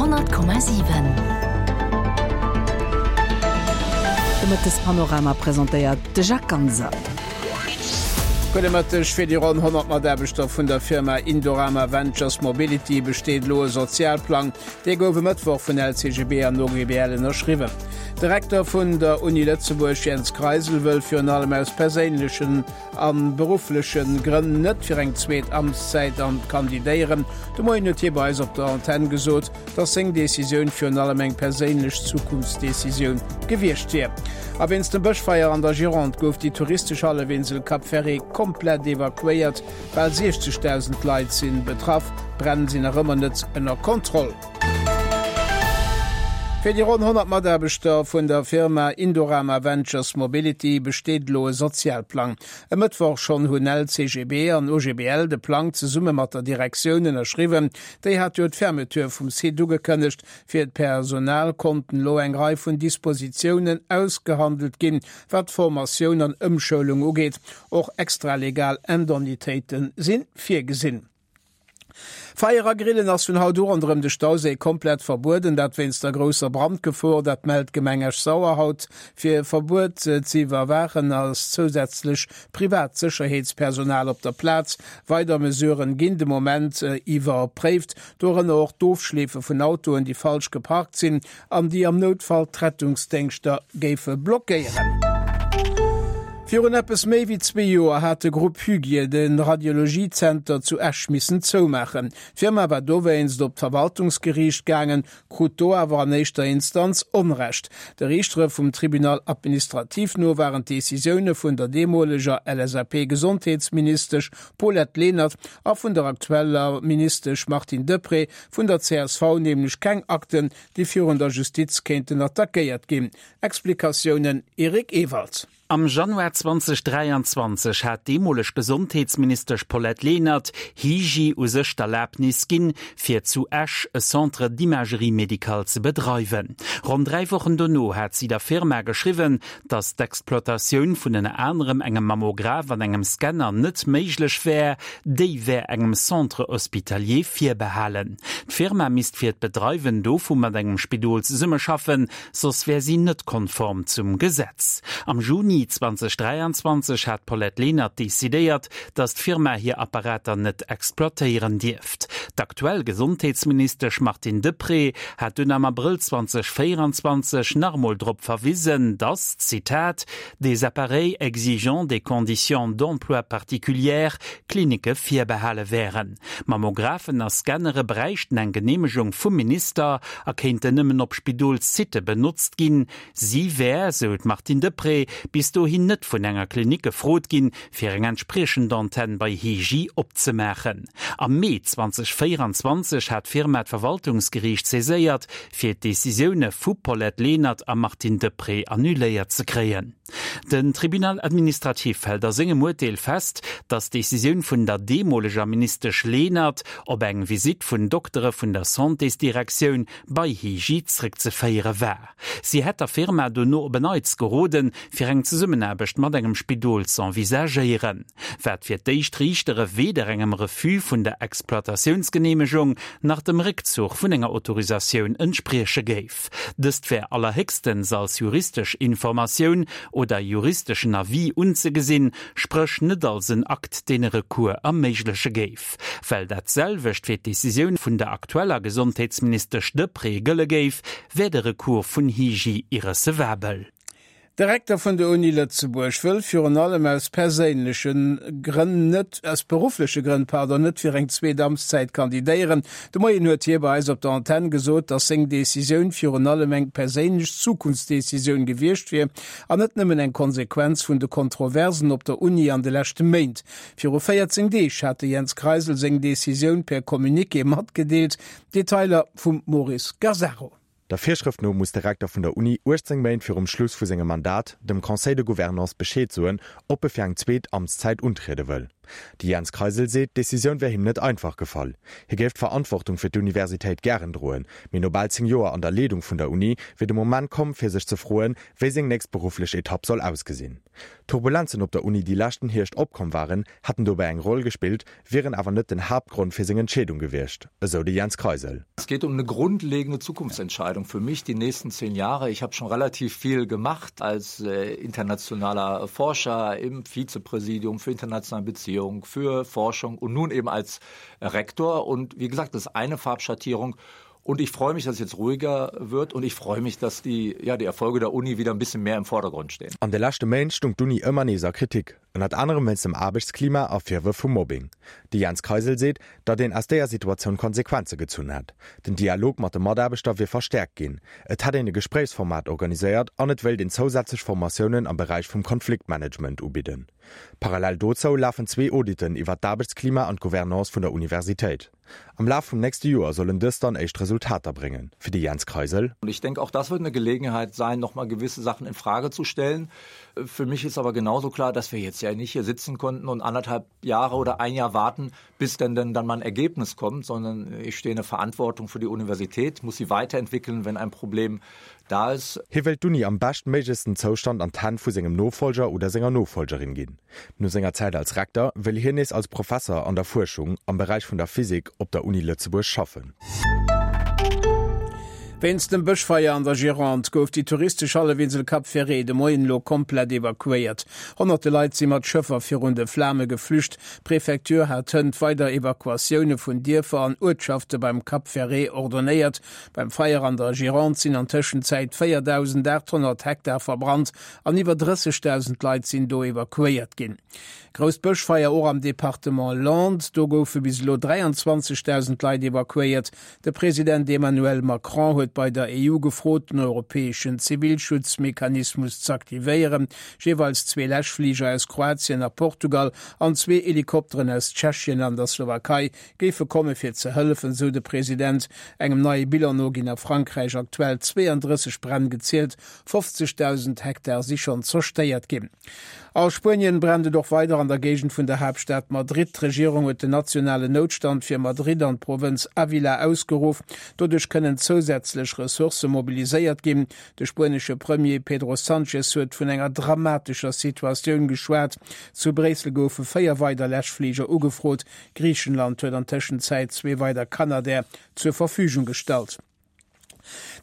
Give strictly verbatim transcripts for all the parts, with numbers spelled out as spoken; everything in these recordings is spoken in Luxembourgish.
honnert Komma siwen. De Mëttespanorama presentéiert de Jacques Ganser. Gudde Mëtteg. Fir déi ronn honnert Mataarbechter vun der Firma Indorama Ventures Mobility besteet elo e Sozialplang. Dee gouf e Mëttwoch vun L C G B an O G B L ënnerschriwwen. De Rektor vun der Uni Lëtzebuerg Jens Kreisel wëll virun allem aus perséinlechen a beruffleche Grënn net fir eng zweet Amtszäit an kandidéieren. De Moien huet hie bei eis op der Antenn gesot, datt seng Decisioun virun allem eng perséinlech Zukunftsdecisioun gewiescht wier. A wéinst dem Bëschfeier an der Gironde gouf déi touristesch Hallefinsel Cap Ferret komplett evakuéiert. Bal siechzegdausend Leit si betraff. D'Bränn sinn nach ëmmer net ënner Kontroll. Fir déi ronn honnert Mataarbechter vun der Firma Indorama Ventures Mobility besteet elo e Sozialplang. E Mëttwoch schonn hunn L C G B an O G B L de Plang zesumme mat der Direktioun ënnerschriwwen. Déi hat jo d'Fermeture vum Site ugekënnegt. Fir d'Personal konnten elo eng Rei vun Dispositiounen ausgehandelt ginn, wat Formatioun an Ëmschoulung ugeet. Och extralegal Indemnitéite si virgesinn. Feier a Grillen ass vun haut u ronderëm de Stauséi komplett verbueden, dat wéinst der grousser Brandgefor, dat mellt d'Gemeng Esch-Sauer haut. Fir d'Verbuet ze iwwerwaachen ass zousätzlech privat Sécherheetspersonal op der Plaz. Weider Mesuren ginn de Moment iwwerpréift, dorënner och d'Ofschleefe vun Autoen, déi falsch geparkt sinn an déi am Noutfall d'Rettungsdéngschter géife blockéieren. Virun eppes méi wéi zwee Joer hat de Grupp Hygie de Radiologiezenter zu Esch missen zoumaachen. D'Firma war dowéinst op d'Verwaltungsgeriicht gaangen, krut do awer an éischter Instanz Onrecht. De Riichtere vum Tribunal administratif no waren d'Decisioune vun der deemoleger L S A P-Gesondheetsministesch Paulette Lenert a vun der aktueller Ministesch Martine Deprez vun der C S V nämlech keng Akten, déi virun der Justiz kéinten attackéiert ginn. Explikatiounen Eric Ewald. Am Januar zweedausenddräianzwanzeg hat deemoleg Gesondheetsministesch Paulette Lenert Hygie u sech d'Erlabnis ginn, fir zu Esch e Centre d'imagerie médicale ze bedreiwen. Ronn dräi Wochen dono hat si der Firma geschriwwen, datt d'Exploitatioun vun ënner anerem engem Mammograph an engem Scanner net méiglech wär, déi wär engem Centre hospitalier virbehalen. D'Firma misst fir d'Bedreiwen dovu mat engem Spidol zesummeschaffen, soss wär si net konform zum Gesetz. Am Juni zweedausenddräianzwanzeg hat d'Paulette Lenert decidéiert, datt d'Firma hir Apparater net exploitéieren dierft. D'aktuell Gesondheetsministesch Martine Deprez hat dunn am Abrëll zweedausendvéieranzwanzeg nach emol drop verwisen, datt, Zitat, des appareils exigeant des conditions d'emploi particulières Klinicke virbehale wären. Mammographen a Scannere bräichten eng Geneemegung vum Minister a kéinten nëmmen op Spidolssitte benotzt ginn. Si wär, sou d'Martine Deprez, bis dohin net vun enger Klinik gefrot ginn, fir eng entspriechend Antenn bei Hygie opzemaachen. Am Mee zweedausendvéieranzwanzeg hat d'Firma d'Verwaltungsgeriicht saiséiert, fir d'Decisioune vu Paulette Lenert a Martine Deprez annuléiert ze kréien. Den Tribunal administratif hält a sengem Urteel fest, datt d'Decisioun vun der deemoleger Ministesch Lenert op eng Visitt vun Doktere vun der Santésdirektioun bei Hygie zréckzeféiere war. Si hätt der Firma dono op en Neits geroden, fir eng Zesummenaarbecht mat engem Spidol z'envisagéieren. Wat fir d'éischt Riichtere weder engem Refus vun der Exploitatiounsgeneemegung nach dem Réckzuch vun enger Autorisatioun entsprieche géif. Dëst wär allerhéchstens als juristesch Informatioun oder juristeschen Avis unzegesinn, spréch net als en Akt, deen e Recours erméigleche géif. Well dat selwecht fir d'Decisioun vun der aktueller Gesondheetsministesch Deprez gëlle géif, wär de Recours vun Hygie irrecevabel. De Rektor vun der Uni Lëtzebuerg wëll virun allem aus perséinleche Grënn net, aus beruffleche Grënn, pardon, net fir eng zweet Amtszäit kandidéieren. De Moien huet hie bei eis op der Antenn gesot, datt seng Decisioun virun allem eng perséinlech Zukunftsdecisioun gewiescht wier an net nëmmen eng Konsequenz vun de Kontroversen op der Uni an de leschte Méint. Viru véierzéng Deeg hat de Jens Kreisel seng Decisioun per Communiqué matgedeelt. Detailer vum Maurice Gazzaro. Der Virschrëft no muss de Rektor vun der Uni uechtzéng Méint virum Schluss vu sengem Mandat dem Conseil de Gouvernance Bescheed soen, ob e fir eng zweet Amtszäit untriede wëll. De Jens Kreisel seet, d'Decisioun wär him net einfach gefall. Hie géif d'Verantwortung fir d'Universitéit gären droen, mee no bal zéng Joer an der Leedung vun der Uni wier de Moment komm, fir sech ze froen, wéi seng nächst berufflech Etapp soll ausgesinn. D'Turbulenzen op der Uni, déi leschten Hierscht opkomm waren, hätten dobäi eng Roll gespillt, wieren awer net den Haaptgrond fir seng Entscheedung gewiescht, esou de Jens Kreisel. Es geht um eine grundlegende Zukunftsentscheidung für mich die nächsten zehn Jahre. Ich habe schon relativ viel gemacht als äh, internationaler Forscher im Vizepräsidium für internationale Beziehungen, für Forschung und nun eben als Rektor. Und wie gesagt, das ist eine Farbschattierung. Und ich freue mich, dass es jetzt ruhiger wird und ich freue mich, dass die, ja, die Erfolge der Uni wieder ein bisschen mehr im Vordergrund stehen. An de leschte Méint stung d'Uni ëmmer nees a Kritik, ënnert anerem wéinst dem Aarbechtsklima a Virwërf vu Mobbing. De Jens Kreisel seet, datt een aus deeër Situatioun Konsequenze gezunn hätt. Den Dialog mat de Mataarbechter wier verstäerkt ginn, et hätt een e Gespréichsformat organiséiert an et wéilt een zousätzlech Formatiounen am Beräich vum Konfliktmanagement ubidden. Parallel dozou lafen zwee Auditen iwwer d'Aarbechtsklima an d'Gouvernance vun der Universitéit. Am Laf vum nächste Joer sollen dës dann éischt Resultater bréngen. Fir de Jens Kreisel. Und ich denke, auch das wird eine Gelegenheit sein, noch mal gewisse Sachen in Frage zu stellen. Für mich ist aber genauso klar, dass wir jetzt ja nicht hier sitzen konnten und anderthalb Jahre oder ein Jahr warten, bis denn, denn dann mal ein Ergebnis kommt, sondern ich stehe in der Verantwortung für die Universität, muss sie weiterentwickeln, wenn ein Problem da ist. Hie wëllt d'Uni am beschtméiglechsten Zoustand an d'Hänn vu sengem Nofollger oder senger Nofollgerin ginn. No senger Zäit als Rektor wëll hien nees als Professer an der Fuerschung am Beräich vun der Physik op der Uni Lëtzebuerg schaffen. Wéinst dem Bëschfeier an der Gironde gouf déi touristesch Hallefinsel Cap Ferret de Moien elo komplett evakuéiert. Honnerte Leit si mat Schëffer virun de Flame geflücht. D'Prefecture hat hënt weider Evakuatioune vun Dierfer an Uertschafte beim Cap Ferret ordonéiert. Beim Feier an der Gironde sinn an Tëschenzäit véierdausendaathonnert Hektar verbrannt an iwwer drëssegdausend Leit sinn do evakuéiert ginn. Grousst Bëschfeier och am Departement Landes, do goufe bis elo dräianzwanzegdausend Leit evakuéiert. De President Emmanuel Macron huet bei der E U gefrot, den europäeschen Zivilschutzmechanismus z'aktivéieren. Jeeweils zwee Läschfliger aus Kroatien a Portugal an zwee Helikopteren aus Tschechien an der Slowakei géife komme fir ze hëllefen, sou de President. Engem neie Bilan no ginn a Frankräich aktuell zweeandrësseg Bränn gezielt, fofzegdausend Hektar si schonn zerstéiert ginn. A Spuenien brennt et och weider an der Géigend vun der Haaptstad Madrid. D'Regierung huet den nationalen Noutstand fir Madrid an d'Provënz Ávila ausgeruff. Doduerch kënnen zousätzlech Ressourcë mobiliséiert ginn. De spuenesche Premier Pedro Sánchez huet vun enger dramatescher Situatioun geschwat. Zu Bréissel goufe véier weider Läschfliger ugefrot. Griichenland huet an Tëschenzäit zwee weider Canadair zur Verfügung gestallt.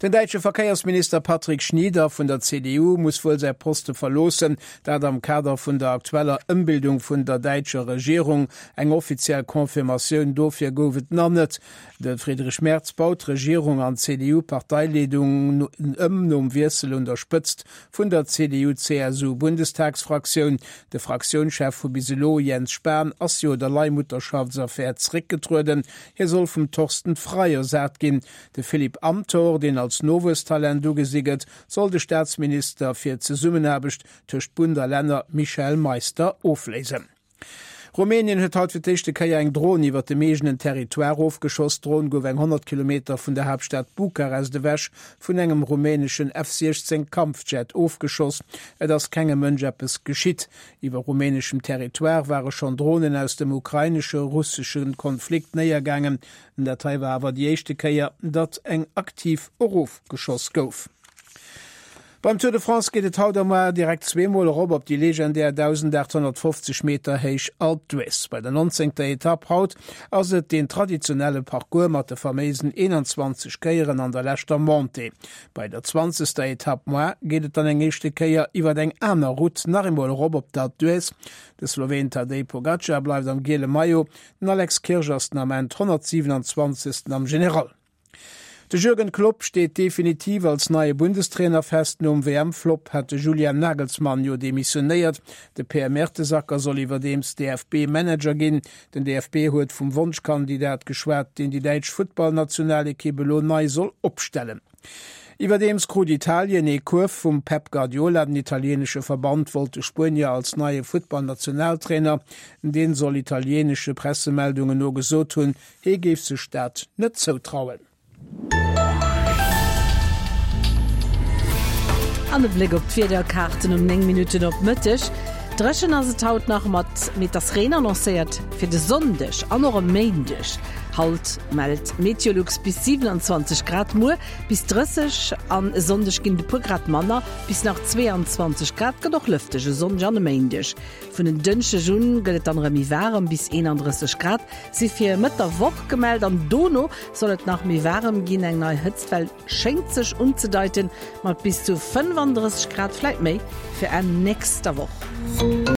Den däitsche Verkéiersminister Patrick Schnieder vun der C D U muss wuel säi Poste verloossen, dat am Kader vun der aktueller Ëmbildung vun der däitscher Regierung. Eng offiziell Confirmatioun dofir gouf et nach net. De Friedrich Merz baut d'Regierung an d'C D U-Parteileedung ëm nom Wiessel un der Spëtzt vun der C D U-C S U-Bundestagsfraktioun. De Fraktiounschef vu bis elo, Jens Spahn, ass jo der Leihmutterschaftsaffär zeréckgetrueden. Hie soll vum Thorsten Frei ersat ginn. De Philipp Amthor, deen als Nowuesstalent ugesi gëtt, soll de Staatsminister fir d'Zesummenaarbecht tëscht Bund a Länner Michael Meister ofléisen. Rumänien huet haut fir d'éischte Kéier eng Dron iwwer dem eegenen Territoire ofgeschoss. D'Dron gouf eng honnert Kilometer vun der Haaptstad Bukarest ewech vun engem rumäneschen F siechzéng Kampfjet ofgeschoss. Et ass kengem Mënsch eppes geschitt. Iwwer rumäneschem Territoire ware schonn Dronen aus dem ukrainesche-russesche Konflikt néiergaangen. Dat hei war awer déi éischte Kéier, datt eng aktiv erofgeschoss gouf. Beim Tour de France geet et haut a muer direkt zweemol erop op déi legendär dausendaathonnertfofzeg Meter héich Alpe d'Huez. Bei der nonzéngter Etapp haut ass et deen traditionelle Parcours mat de faméisen eenanzwanzeg Kéieren an der leschter Montée. Bei der zwanzegster Etapp muer geet et dann eng éischte Kéier iwwer eng aner Route nach eemol erop op d'Alpe d'Huez. De Sloween Tadej Pogacar bleift am giele Maillot, den Alex Kirsch ass den Ament honnertsiwenanzwanzegsten am General. De Jürgen Klopp steet definitiv als neie Bundestrainer fest. Nom W M-Flopp hat de Julian Nagelsmann jo demissionéiert. De Per Mertesacker soll iwwerdeems D F B-Manager ginn. Den D F B huet vum Wonschkandidat geschwat, deen déi däitsch Futtballnationalekipp elo nei soll opstellen. Iwwerdeems krut Italien ee Kuerf vum Pep Guardiola. Den italieenesche Verband wollt de Spuenier als neie Futtballnationaltrainer. Deen soll italieenesche Pressemeldungen no gesot hunn, hie géif sech dat net zoutrauen. An e Bléck op d'Wiederkaarten um néng Minutten op Mëtteg. Dréchen ass et haut nach mat, mee et ass Reen annoncéiert fir de Sonndeg an och e Méindeg. Haut mellt Meteolux bis siwenanzwanzeg Grad, muer bis drësseg an e Sonndeg ginn et e puer Grad manner, bis nach zweeanzwanzeg Grad. Gëtt och lëfteg e Sonndeg an e Méindeg. Vun en Dënschdeg un gëtt et dann erëm méi waarem, bis eenandrësseg Grad si fir Mëtt der Woch gemellt an dono soll et nach méi waarem ginn. Eng nei Hëtztwell schéngt sech unzedeiten, mat bis zu fënnefandrësseg Grad, vläit méi, fir Enn nächster Woch.